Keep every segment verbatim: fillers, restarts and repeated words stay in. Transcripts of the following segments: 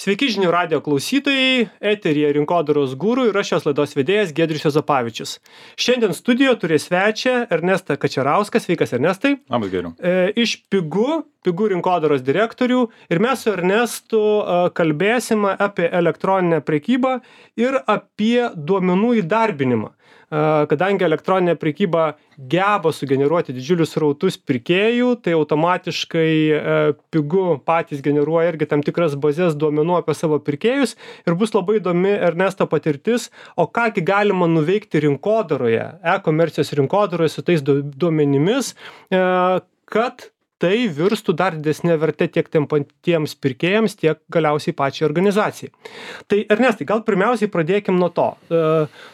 Sveiki žinių radijo klausytojai, eteryje Rinkodaros guru ir aš šios laidos vedėjas Giedrius Juozapavičius. Šiandien studijoje turi svečią Ernestą Kačerauską. Sveikas, Ernestai. Labas, Giedriau. E, iš Pigu, Pigu rinkodaros direktorių, ir mes su Ernestu e, kalbėsime apie elektroninę prekybą ir apie duomenų įdarbinimą. Kadangi elektroninė prekyba geba sugeneruoti didžiulius srautus pirkėjų, tai automatiškai Pigu patys generuoja irgi tam tikras bazės duomenų apie savo pirkėjus ir bus labai įdomi Ernesto patirtis, o kągi galima nuveikti rinkodaroje, e-komercijos rinkodaroje su tais duomenimis, kad tai virstų dar didesnė vertė tiek tiem patiems pirkėjams, tiek galiausiai pačiai organizacijai. Tai Ernestai, gal pirmiausiai pradėkim nuo to. E,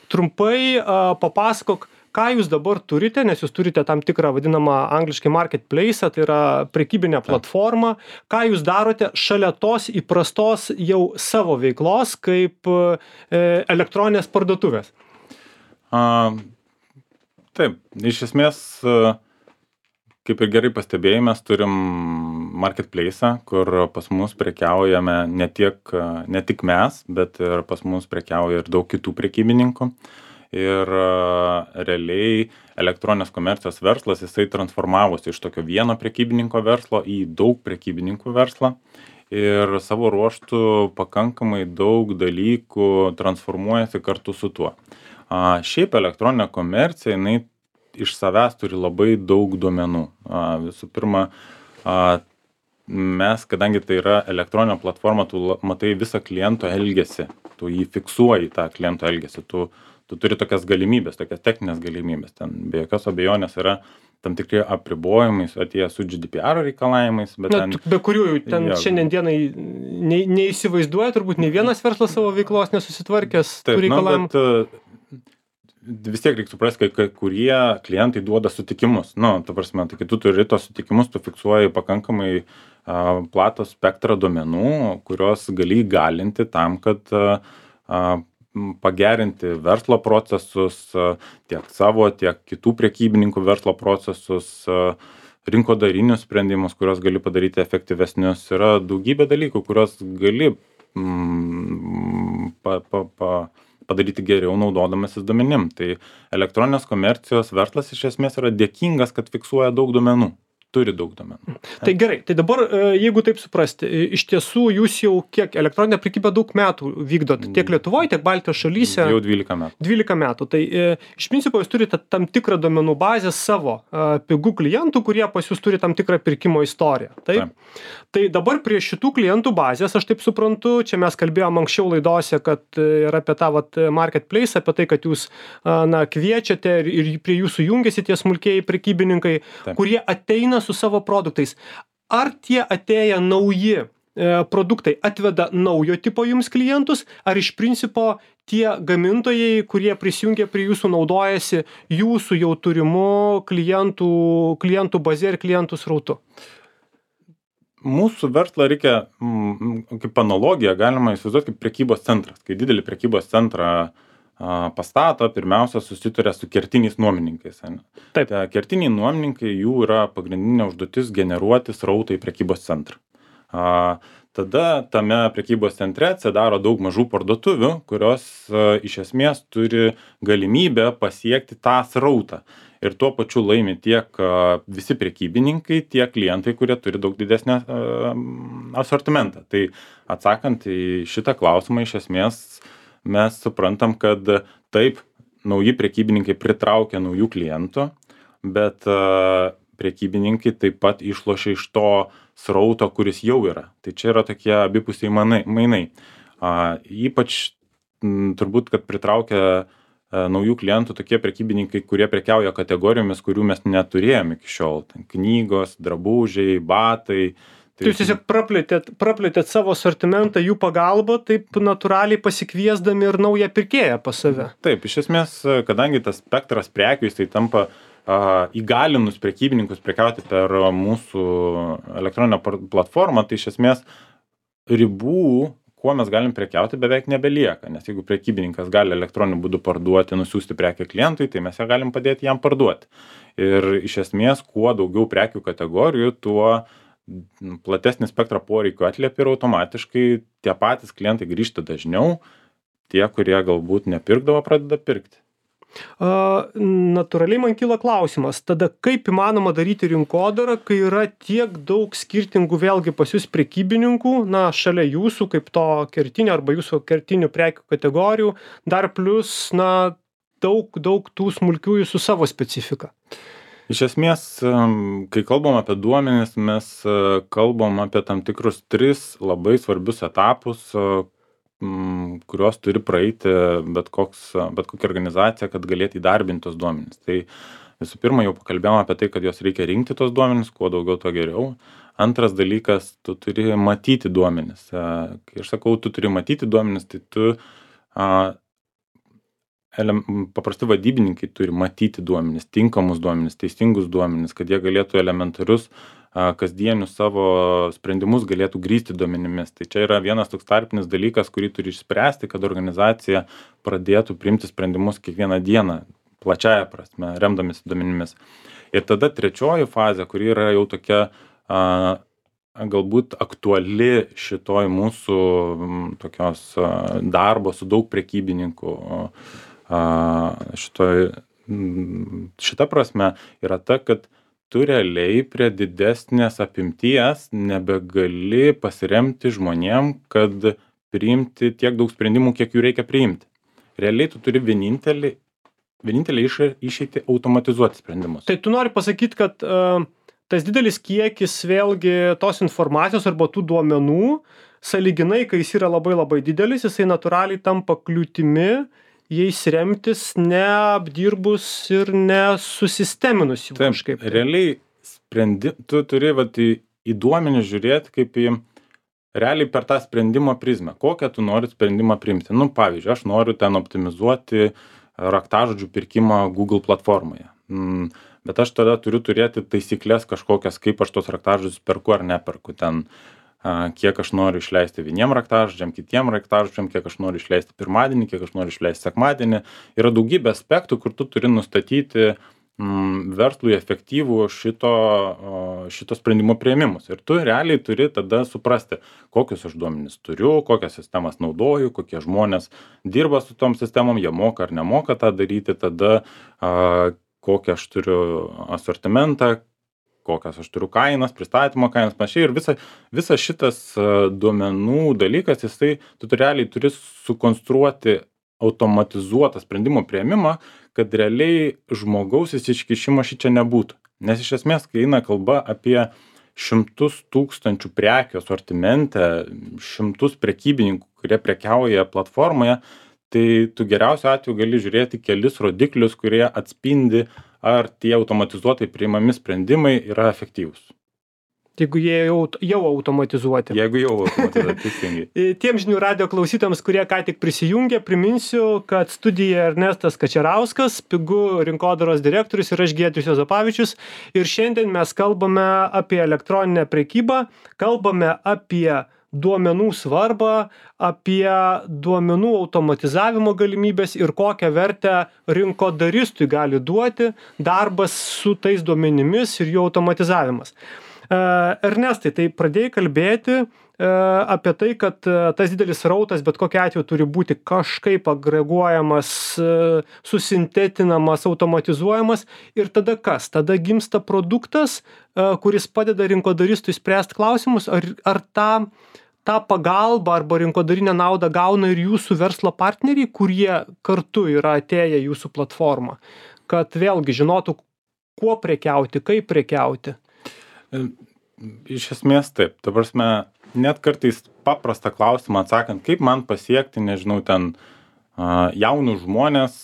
trumpai e, papasakok, ką jūs dabar turite, nes jūs turite tam tikrą vadinamą angliškai marketplace, tai yra prekybinė platforma. Ką jūs darote šalia tos įprastos jau savo veiklos kaip e, elektroninės parduotuvės? A, taip, iš esmės... Kaip ir gerai pastebėjai, mes turim marketplace'ą, kur pas mus prekiaujame ne, tiek, ne tik mes, bet ir pas mus prekiauja ir daug kitų prekybininkų. Ir realiai elektroninės komercijos verslas, jisai transformavosi iš tokio vieno prekybininko verslo į daug prekybininkų verslą. Ir savo ruožtų pakankamai daug dalykų transformuojasi kartu su tuo. A, šiaip elektroninė komercija, jinai iš savęs turi labai daug duomenų. A, visų pirma, a, mes, kadangi tai yra elektroninė platforma, tu matai visą kliento elgesį, tu jį fiksuoji tą kliento elgesį, tu, tu turi tokias galimybės, tokias techninės galimybės. Ten be jokios abejonės yra tam tikri apribojimai atėję su G D P R reikalavimais. Bet Na, ten, be kurių ten jo, šiandien dienai ne, neįsivaizduoja, turbūt nei vienas verslas savo veiklos nesusitvarkęs tų taip, reikalavimų. Nu, bet, vis tiek reikia suprasti, kai kurie klientai duoda sutikimus. Nu, ta prasme, tai kai tu turi tos sutikimus, tu fiksuoji pakankamai a, platų spektrą duomenų, kurios gali įgalinti tam, kad a, a, pagerinti verslo procesus, a, tiek savo, tiek kitų prekybininkų verslo procesus, a, rinkodarinius sprendimus, kuriuos gali padaryti efektyvesnius. Yra daugybė dalykų, kuriuos gali mm, pa, pa, pa, padaryti geriau naudodamasis duomenim. Tai elektroninės komercijos verslas iš esmės yra dėkingas, kad fiksuoja daug duomenų. Turi daug duomenų. Tai gerai, tai dabar, jeigu taip suprasti, iš tiesų jūs jau kiek elektroninę prekybą daug metų vykdot, tiek Lietuvoje, tiek Baltijos šalyse? Jau dvylika metų. dvylika metų. Tai iš principo jūs turite tam tikrą duomenų bazę savo Pigu klientų, kurie pas jūs turi tam tikrą pirkimo istoriją. Taip? Taip. Tai dabar prie šitų klientų bazės, aš taip suprantu, čia mes kalbėjom anksčiau laidose, kad yra apie tą vat, marketplace, apie tai, kad jūs na, kviečiate ir, ir prie jūsų jungiasi tie smulkieji prekybininkai, Taip. Kurie ateina su savo produktais. Ar tie atėję nauji e, produktai atveda naujo tipo jums klientus, ar iš principo tie gamintojai, kurie prisijungia prie jūsų, naudojasi jūsų jau turimų klientų, klientų bazė ir klientų srautu? Mūsų verslą reikia, mm, kaip analogiją, galima įsivaizduoti kaip prekybos centras. Kai didelį prekybos centrą pastato, pirmiausia susituria su kertiniais nuomininkais. Taip. Tai kertiniai nuomininkai, jų yra pagrindinė užduotis generuoti srautą į prekybos centrą. A, tada tame prekybos centre atsidaro daug mažų parduotuvių, kurios a, iš esmės turi galimybę pasiekti tą srautą. Ir tuo pačiu laimi tiek a, visi prekybininkai, tiek klientai, kurie turi daug didesnį a, asortimentą. Tai atsakant į šitą klausimą, iš esmės mes suprantam, kad taip, nauji prekybininkai pritraukia naujų klientų, bet uh, prekybininkai taip pat išlošia iš to srauto, kuris jau yra. Tai čia yra tokie abipusiai mainai. Uh, ypač m, turbūt, kad pritraukia uh, naujų klientų tokie prekybininkai, kurie prekiauja kategorijomis, kurių mes neturėjome iki šiol. Ten knygos, drabužiai, batai. Tai jūs tiesiog praplėtėt, praplėtėt savo asortimentą jų pagalba, taip natūraliai pasikviesdami ir naują pirkėją pas save. Taip, iš esmės, kadangi tas spektras prekių, jis tai tampa a, įgalinus prekybininkus prekiauti per mūsų elektroninę platformą, tai iš esmės ribų, kuo mes galim prekiauti, beveik nebelieka. Nes jeigu prekybininkas gali elektroniniu būdu parduoti, nusiųsti prekę klientui, tai mes ją galim padėti jam parduoti. Ir iš esmės, kuo daugiau prekių kategorijų, tuo platesnį spektrą poreikių atliepi ir automatiškai tie patys klientai grįžta dažniau, tie, kurie galbūt nepirkdavo, pradeda pirkti. A, natūraliai man kyla klausimas, tada kaip įmanoma daryti rinkodarą, kai yra tiek daug skirtingų vėlgi pas jūs prekybininkų, na, šalia jūsų kaip to kertinio arba jūsų kertinių prekių kategorijų, dar plus, na, daug, daug tų smulkiųjų su savo specifika. Iš esmės, kai kalbam apie duomenis, mes kalbam apie tam tikrus tris labai svarbius etapus, kurios turi praeiti bet, koks, bet kokia organizacija, kad galėtų įdarbinti tos duomenis. Tai visų pirma, jau pakalbėjome apie tai, kad jos reikia rinkti tos duomenis, kuo daugiau, tuo geriau. Antras dalykas, tu turi matyti duomenis. Kai aš sakau, tu turi matyti duomenis, tai tu a, ele, paprasti vadybininkai turi matyti duomenis, tinkamus duomenis, teisingus duomenis, kad jie galėtų elementarius kasdienius savo sprendimus galėtų grįsti duomenimis. Tai čia yra vienas toks tarpinis dalykas, kurį turi išspręsti, kad organizacija pradėtų priimti sprendimus kiekvieną dieną, plačiaja prasme, remdamisi duomenimis. Ir tada trečioji fazė, kuri yra jau tokia a, galbūt aktuali šitoj mūsų tokios a, darbo su daug prekybininkų a, šitoj, šita prasme yra ta, kad tu realiai prie didesnės apimties nebegali pasiremti žmonėm, kad priimti tiek daug sprendimų, kiek jų reikia priimti. Realiai tu turi vienintelį, vienintelį išeitį automatizuoti sprendimus. Tai tu nori pasakyti, kad uh, tas didelis kiekis vėlgi tos informacijos arba tų duomenų, sąlyginai, kai jis yra labai labai didelis, jisai natūraliai tampa kliūtimi jais remtis neapdirbus ir nesusisteminus jų kažkaip. Taip, realiai sprendi, tu turi vat, į, į duomenis žiūrėti kaip į realiai per tą sprendimo prizmę. Kokią tu nori sprendimą priimti. Nu, pavyzdžiui, aš noriu ten optimizuoti raktažodžių pirkimą Google platformoje. Mm, bet aš tada turiu turėti taisyklės kažkokias, kaip aš tos raktažodžius perku ar neperku ten. Kiek aš noriu išleisti vieniem raktažodžiam, kitiem raktažodžiam, kiek aš noriu išleisti pirmadienį, kiek aš noriu išleisti sekmadienį. Yra daugybė aspektų, kur tu turi nustatyti mm, verslui efektyvų šito, šito sprendimo priėmimus. Ir tu realiai turi tada suprasti, kokius aš duomenis turiu, kokias sistemas naudoju, kokie žmonės dirba su tom sistemom, jie moka ar nemoka tą daryti, tada a, kokią aš turiu asortimentą, kokias aš turiu kainas, pristatymo kainas, panašiai. Ir visa, visa šitas duomenų dalykas, jisai, tu realiai turi sukonstruoti automatizuotą sprendimo priėmimą, kad realiai žmogaus įsikišimo šičia nebūtų. Nes iš esmės, kai eina kalba apie šimtus tūkstančių prekių asortimente, šimtus prekybininkų, kurie prekiauja platformoje, tai tu geriausiu atveju gali žiūrėti kelis rodiklius, kurie atspindi, ar tie automatizuotai priimami sprendimai yra efektyvūs. Jeigu jie jau, jau automatizuoti. Jeigu jau automatizuoti, teisingai. Tiem žinių radio klausytams, kurie ką tik prisijungė, priminsiu, kad studija Ernestas Kačerauskas, Pigu rinkodaros direktorius ir aš Giedrius Juozapavičius. Ir šiandien mes kalbame apie elektroninę prekybą, kalbame apie duomenų svarbą, apie duomenų automatizavimo galimybės ir kokią vertę rinkodaristui gali duoti darbas su tais duomenimis ir jų automatizavimas. Ernestai, tai pradėjai kalbėti apie tai, kad tas didelis srautas bet kokiu atveju turi būti kažkaip agreguojamas, susintetinamas, automatizuojamas ir tada kas? Tada gimsta produktas, kuris padeda rinkodaristui spręsti klausimus, ar, ar tą tą pagalbą arba rinkodarinę naudą gauna ir jūsų verslo partneriai, kurie kartu yra atėję į jūsų platformą, kad vėlgi žinotų, kuo prekiauti, kaip prekiauti? Iš esmės taip. Ta prasme, net kartais paprastą klausimą atsakant, kaip man pasiekti, nežinau, ten jaunus žmonės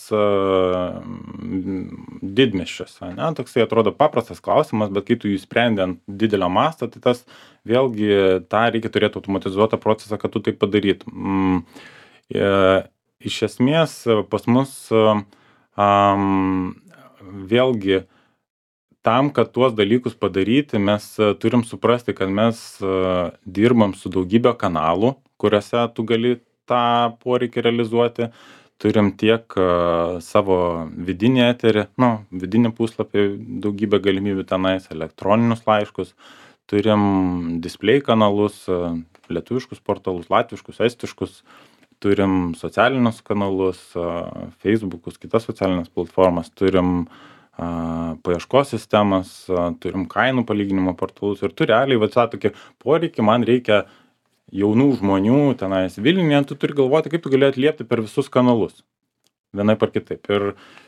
didmiesčiuose. Ne? Toksai atrodo paprastas klausimas, bet kai tu jį sprendi ant didelio masto, tai tas vėlgi tą reikia turėti automatizuotą procesą, kad tu tai padarytum. Iš esmės pas mus um, vėlgi tam, kad tuos dalykus padaryti, mes turim suprasti, kad mes dirbam su daugybė kanalų, kuriuose tu gali tą poreikį realizuoti. Turim tiek uh, savo vidinį eterį, nu, vidinį puslapį, daugybę galimybių tenais, elektroninius laiškus. turim display kanalus, lietuviškus portalus, latviškus, estiškus, turim socialinius kanalus, Facebookus, kitas socialinės platformas, turim a, paieškos sistemas, a, turim kainų palyginimo portalus ir tu realiai va tą tokį poreikį, man reikia jaunų žmonių tenais Vilniuje, tu turi galvoti, kaip tu gali atliepti per visus kanalus. Vienaip ar kitaip. Ir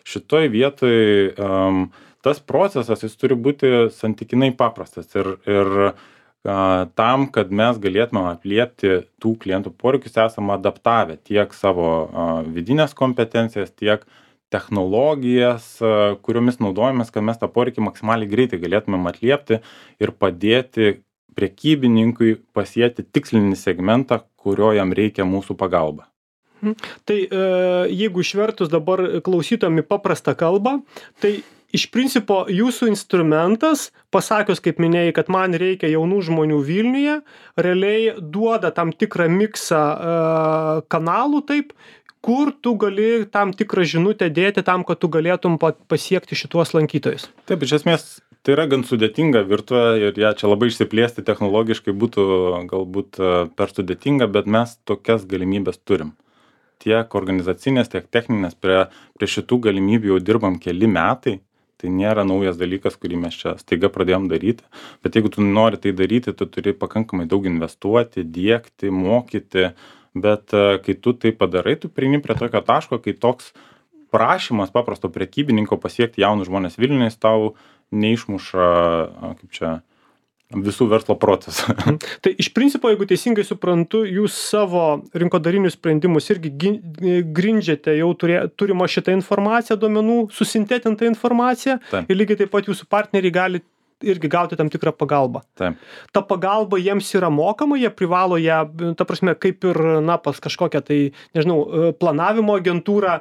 šitoj vietoj um, tas procesas, jis turi būti santykinai paprastas. Ir, ir a, tam, kad mes galėtume atliepti tų klientų poreikius, esame adaptavę tiek savo a, vidinės kompetencijas, tiek technologijas, a, kuriomis naudojamės, kad mes tą poreikį maksimaliai greitai galėtumėm atliepti ir padėti prekybininkui pasiekti tikslinį segmentą, kurio jam reikia mūsų pagalba. Tai e, jeigu išvertus dabar klausytojam į paprastą kalbą, tai iš principo jūsų instrumentas, pasakius, kaip minėjai, kad man reikia jaunų žmonių Vilniuje, realiai duoda tam tikrą miksą e, kanalų, taip, kur tu gali tam tikrą žinutę dėti tam, kad tu galėtum pasiekti šituos lankytojus. Taip, iš esmės, tai yra gan sudėtinga virtuvė ir ją čia labai išsiplėsti technologiškai būtų galbūt per sudėtinga, bet mes tokias galimybės turim. Tiek organizacinės, tiek techninės, prie, prie šitų galimybių jau dirbam keli metai, tai nėra naujas dalykas, kurį mes čia staiga pradėjom daryti, bet jeigu tu nori tai daryti, tu turi pakankamai daug investuoti, diegti, mokyti, bet kai tu tai padarai, tu prieini prie tokio taško, kai toks prašymas paprasto prekybininko pasiekti jaunus žmonės Vilniuje, tau neišmuša, kaip čia, visų verslo procesų. Tai iš principo, jeigu teisingai suprantu, jūs savo rinkodarinius sprendimus irgi grindžiate jau turė, turimo šitą informaciją, duomenų, susintetintą informaciją. Taip. Ir lygiai taip pat jūsų partneriai gali irgi gauti tam tikrą pagalbą. Taip. Ta pagalba jiems yra mokama, jie privalo ją, ta prasme, kaip ir, na, pas kažkokią tai, nežinau, planavimo agentūrą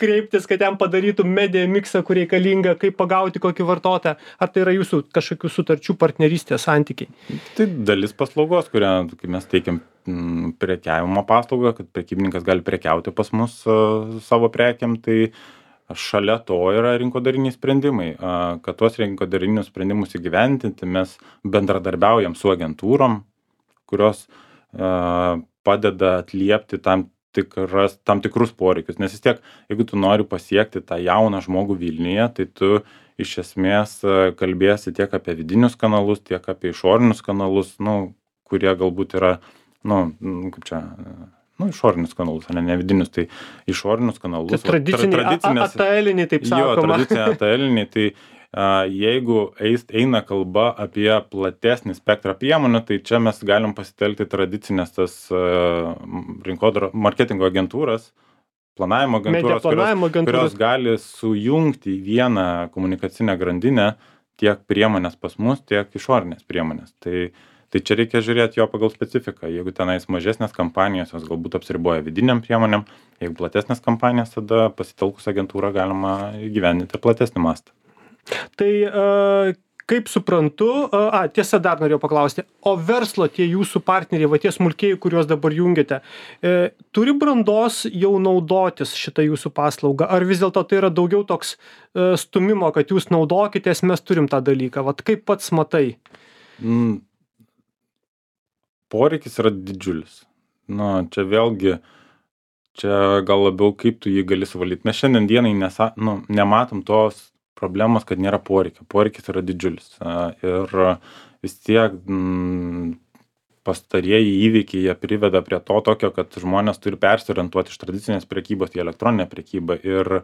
kreiptis, kad jam padarytų media miksą, kur reikalinga, kaip pagauti kokį vartotoją. Ar tai yra jūsų kažkokių sutarčių partnerystės santykiai? Tai dalis paslaugos, kurią mes teikiam prekiavimo paslaugą, kad prekybininkas gali prekiauti pas mus uh, savo prekiam, tai šalia to yra rinkodariniai sprendimai. Kad tuos rinkodarinius sprendimus įgyventinti, mes bendradarbiaujam su agentūrom, kurios padeda atliepti tam, tikras, tam tikrus poreikius. Nes vis tiek, jeigu tu nori pasiekti tą jauną žmogų Vilniuje, tai tu iš esmės kalbėsi tiek apie vidinius kanalus, tiek apie išorinius kanalus, nu, kurie galbūt yra, nu, kaip čia... Nu, išorinius kanalus, ne, ne vidinius, tai išorinius kanalus. Tai tradiciniai, tra, A T L-iniai, taip sakoma. Jo, tradiciniai A T L-iniai, tai a, jeigu eis, eina kalba apie platesnį spektrą priemonių, tai čia mes galim pasitelkti tradicinės tas a, rinkodaro, marketingo agentūras, planavimo agentūros, planavimo kurios, kurios gali sujungti į vieną komunikacinę grandinę tiek priemonės pas mus, tiek išorinės priemonės. Tai Tai čia reikia žiūrėti jo pagal specifiką. Jeigu tenais mažesnės kampanijos, jos galbūt apsiriboja vidiniam priemonėm, jeigu platesnės kampanijos, tada pasitelkus agentūrą galima įgyvendinti platesnį mastą. Tai uh, kaip suprantu, uh, a, tiesa dar norėjau paklausti, o verslo tie jūsų partneriai, va tie smulkieji, kuriuos dabar jungiate, e, turi brandos jau naudotis šitą jūsų paslaugą? Ar vis dėlto tai yra daugiau toks e, stumimo, kad jūs naudokitės, mes turim tą dalyką? Vat kaip pats matai? Mm. Poreikis yra didžiulis. Na, čia vėlgi, čia gal labiau kaip tu jį gali suvaldyti. Mes šiandien dienai nesa, nu, nematom tos problemos, kad nėra poreikio. Poreikis yra didžiulis. Ir vis tiek m, pastarieji įvykiai jie priveda prie to tokio, kad žmonės turi persiorientuoti iš tradicinės prekybos į elektroninę prekybą. Ir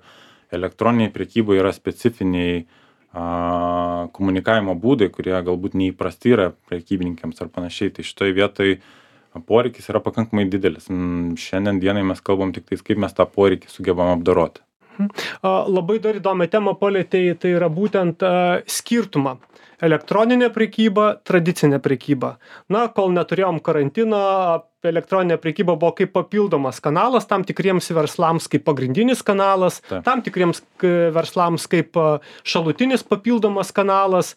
elektroniniai prekybai yra specifiniai a, komunikavimo būdai, kurie galbūt neįprasti yra prekybininkams ar panašiai. Tai šitoj vietoj poreikis yra pakankamai didelis. Šiandien dienai mes kalbam tik tais, kaip mes tą poreikį sugebam apdoroti. Labai dar įdomią temą palietei, tai yra būtent a, skirtumą. Elektroninė prekyba, tradicinė prekyba. Na, kol neturėjom karantino, elektroninė prekyba buvo kaip papildomas kanalas tam tikriems verslams kaip pagrindinis kanalas, Ta. tam tikriems verslams kaip šalutinis papildomas kanalas.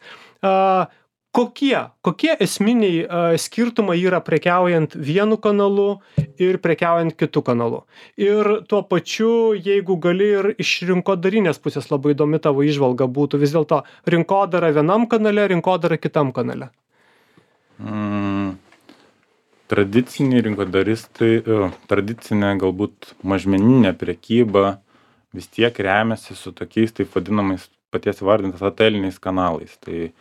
Kokie, kokie esminiai skirtumai yra prekiaujant vienu kanalu ir prekiaujant kitu kanalu? Ir tuo pačiu, jeigu gali ir iš rinkodarinės pusės labai įdomi tavo įžvalga būtų vis dėlto rinkodara vienam kanale, rinkodara kitam kanale. Mm, tradiciniai rinkodaristai, e, tradicinė galbūt mažmeninė prekyba vis tiek remiasi su tokiais taip vadinamais paties įvardintas ateliniais kanalais. Tai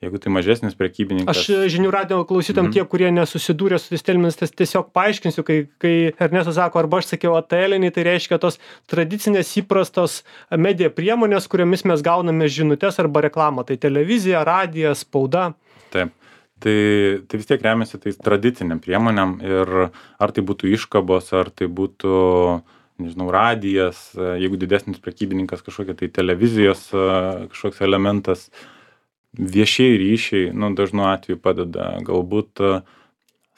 jeigu tai mažesnis prekybininkas. Aš žinių radijo klausytam, Mhm. tie, kurie nesusidūrė su tais terminais, tas tiesiog paaiškinsiu, kai, kai Ernestas sako, arba aš sakiau ateliniai, tai reiškia tos tradicinės įprastos medija priemonės, kuriomis mes gauname žinutes arba reklamą. Tai televizija, radijas, spauda. Taip. Tai, tai vis tiek remiasi tais tradiciniam priemonėm ir ar tai būtų iškabos, ar tai būtų, nežinau, radijas, jeigu didesnis prekybininkas kažkokia tai televizijos kažkoks elementas, viešieji ryšiai, nu, dažnu atveju padeda, galbūt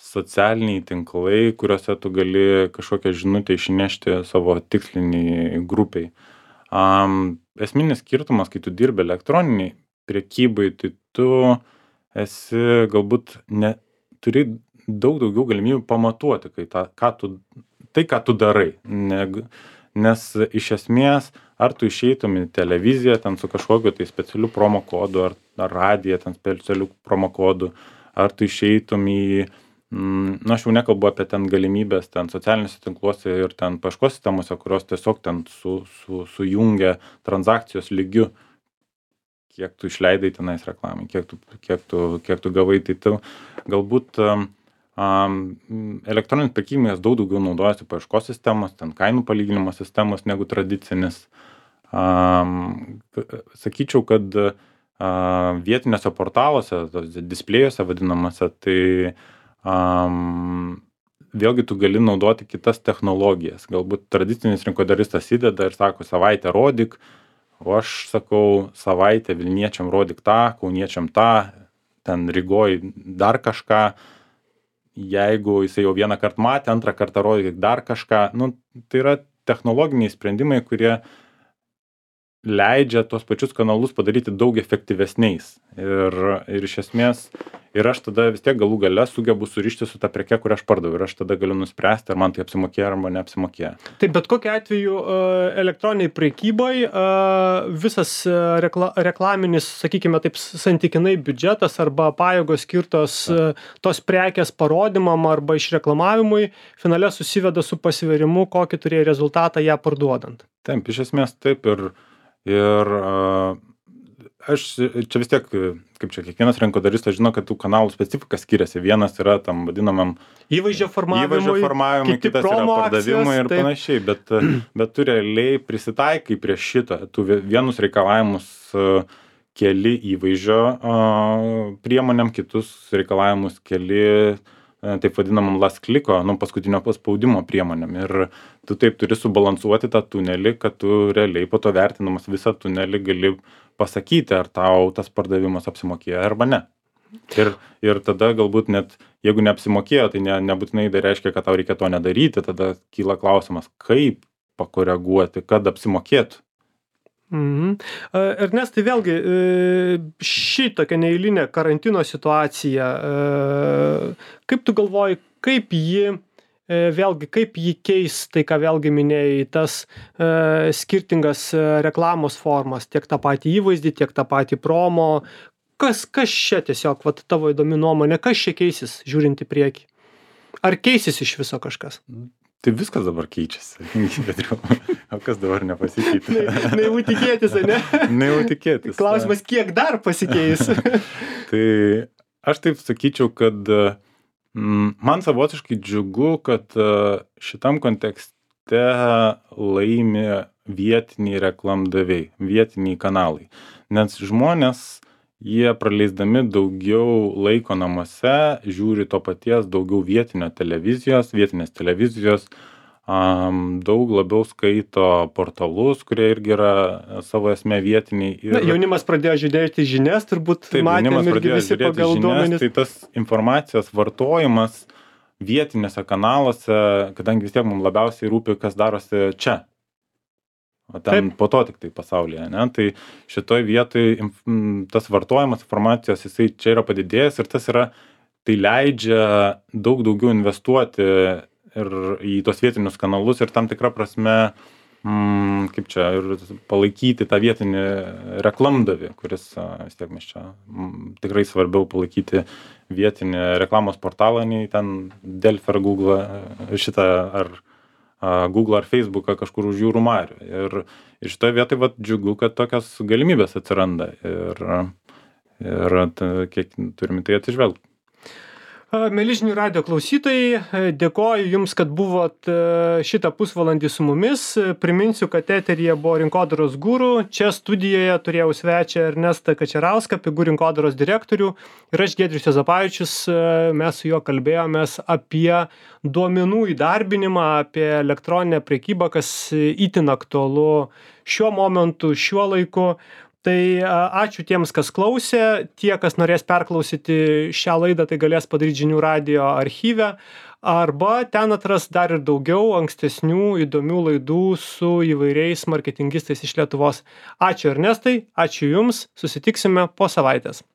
socialiniai tinklai, kuriuose tu gali kažkokią žinutę išnešti savo tiksliniai grupiai. Um, esminis skirtumas, kai tu dirbi elektroniniai prekybai, tai tu esi galbūt ne, turi daug daugiau galimybių pamatuoti, kai ta, ką tu, tai, ką tu darai. Ne, nes iš esmės, ar tu išeitum į televiziją ten su kažkokiu tai specialiu promo kodu, ar, ar radiją ten specialiu promo kodu, ar tu išeitum į, mm, na, aš jau nekalbu apie ten galimybės ten socialiniuose tinkluose ir ten paieškos sistemose, kurios tiesiog ten su, su, sujungia transakcijos lygiu, kiek tu išleidai tenais reklamai, kiek tu, kiek tu, kiek tu gavai, tai tu galbūt um, elektroninis prekybininkas daug daugiau naudojasi paieškos sistemos, ten kainų palyginimo sistemos negu tradicinis. Um, sakyčiau, kad uh, vietiniuose portaluose, displėjuose vadinamuose, tai um, vėlgi tu gali naudoti kitas technologijas. Galbūt tradicinis rinkodaristas įdeda ir sako, savaitę rodyk, o aš sakau, savaitę Vilniečiam rodyk tą, Kauniečiam tą, ten Rygoj dar kažką. Jeigu jisai jau vieną kartą matė, antrą kartą rodyk dar kažką. Nu, tai yra technologiniai sprendimai, kurie leidžia tos pačius kanalus padaryti daug efektyvesniais. Ir, ir iš esmės, ir aš tada vis tiek galų gale sugebu surišti su ta preke, kurią aš pardaviau. Ir aš tada galiu nuspręsti, ar man tai apsimokėjo, arba neapsimokėjo. Tai bet kokiu atveju elektroniniai prekybai visas rekla, reklaminis, sakykime taip, santykinai biudžetas arba pajėgos skirtos tos prekės parodymam arba išreklamavimui finale susiveda su pasverimu, kokį turėjo rezultatą ją parduodant. Taip, iš esmės taip ir Ir uh, aš čia vis tiek, kaip čia kiekvienas rinkodaristas žino, kad tų kanalų specifika skiriasi. Vienas yra tam vadinamam įvaizdžio formavimui, įvaizdžio formavimui kitas yra pardavimui ir taip. Panašiai, bet, bet tu realiai prisitaikai prie šito. Tu vienus reikalavimus uh, keli įvaizdžio uh, priemonėm, kitus reikalavimus keli taip vadinamam last kliko, nu, paskutinio paspaudimo priemonėm. Ir tu taip turi subalansuoti tą tunelį, kad tu realiai po to vertinamas visą tunelį gali pasakyti, ar tau tas pardavimas apsimokėjo arba ne. Ir, ir tada galbūt net, jeigu neapsimokėjo, tai ne, nebūtinai tai reiškia, kad tau reikia to nedaryti, tada kyla klausimas, kaip pakoreguoti, kad apsimokėtų. Mhm. Ernestai, vėlgi, ši tokia neeilinė karantino situacija, kaip tu galvoji, kaip ji, vėlgi, kaip ji keis, tai ką vėlgi minėjai, tas skirtingas reklamos formas, tiek tą patį įvaizdį, tiek tą patį promo, kas, kas čia tiesiog, vat, tavo įdomi nuomonė, kas čia keisis, žiūrint į priekį? Ar keisis iš viso kažkas? Tai viskas dabar keičiasi. O kas dabar nepasikeitė? Naivu tikėtis, ne? Naivu tikėtis. Klausimas, kiek dar pasikeis? Tai aš taip sakyčiau, kad mm, man savotiškai džiugu, kad šitam kontekste laimi vietiniai reklamdaviai, vietiniai kanalai. Nes žmonės, jie praleisdami daugiau laiko namuose, žiūri to paties daugiau vietinio televizijos, vietinės televizijos, um, daug labiau skaito portalus, kurie irgi yra savo esmė vietiniai. Ir... Na, jaunimas pradėjo žiūrėti žinias, turbūt taip, matėm irgi visi pagal duomenis. Tai tas informacijos vartojimas vietinėse kanaluose, kadangi vis tiek mums labiausiai rūpi, kas darosi čia. O ten taip. Po to tik tai pasaulyje, ne? Tai šitoj vietoj tas vartojimas informacijos, jisai čia yra padidėjęs ir tas yra, tai leidžia daug daugiau investuoti ir į tos vietinius kanalus ir tam tikra prasme mm, kaip čia, ir palaikyti tą vietinį reklamdavį, kuris vis tiek mes čia mm, tikrai svarbiau palaikyti vietinį reklamos portalą, nei ten Delfi ar Google šitą, ar a, Google ar Facebooką kažkur už jūrų marių. Ir, ir šitoje vietoje vat, džiugu, kad tokios galimybės atsiranda ir, ir t, kiek turime tai atsižvelgti. Mieli žinių radijo klausytojai, dėkoju Jums, kad buvot šitą pusvalandį su mumis. Priminsiu, kad eteryje buvo Rinkodaros guru. Čia studijoje turėjau svečią Ernestą Kačerauską, Pigų rinkodaros direktorių. Ir aš, Giedrius Juozapavičius, mes su juo kalbėjomės apie duomenų įdarbinimą, apie elektroninę prekybą, kas itin aktualu šiuo momentu, šiuo laiku. Tai ačiū tiems, kas klausė. Tie, kas norės perklausyti šią laidą, tai galės padaryti žinių radijo archyve. Arba ten atras dar ir daugiau ankstesnių įdomių laidų su įvairiais marketingistais iš Lietuvos. Ačiū Ernestai, ačiū Jums. Susitiksime po savaitės.